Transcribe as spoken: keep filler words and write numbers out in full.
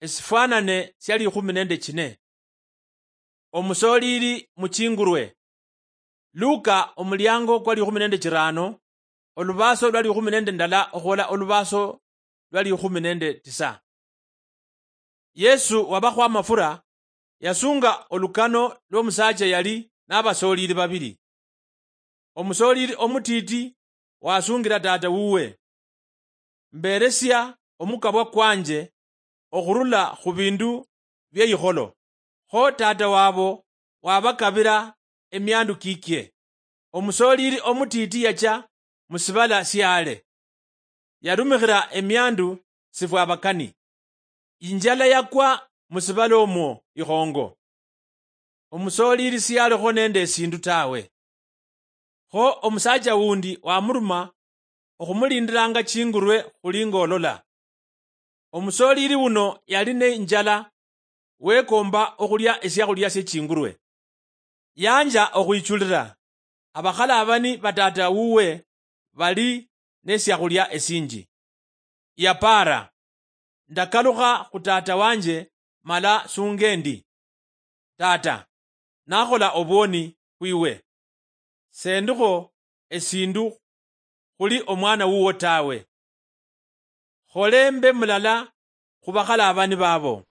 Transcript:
esifwanane sia likhumi nende chine. Omusolili mu chingurwe. Luka omuliango kwa likhumi nende chirano, olubaso lwa likhumi nende ndala okhwola olubaso lwa likhumi nende tisa. Yesu wabakhwa amafura, yasunga olukano lw'omusaacha yali n'abasolili babili. Omusolili omutiti wasungira tata wuwe, mberesia omukabwa kwanje okhurula khu bindu bye yikholo. Kho tata wabo wabakabira emiandu kikie. Omusolili omutiti yacha mu sibala siale, yarumikhira emiandu sifwabakani. Injala yakwa mu sibala omwo ikhongo. Omusolili siyalikho nende esindu tawe. Kho omusaacha wundi wamuruma okhumulindiranga chingurwe khuli ngolola. Omusolili wuno yali ne injala, wekomba okhulia esiakhulia sie chingurwe. Yanja okhwichulira abakhalabani ba tata wuwe bali nesiakhulia esinji. Yapaara, ndakalukha khu tata wanje mala sunge ndi, tata, nakhola obwoni khwiwe. Sendikho esindu khuli omwana wuwo tawe. Khole mbe mulala khu bakhalabani babo.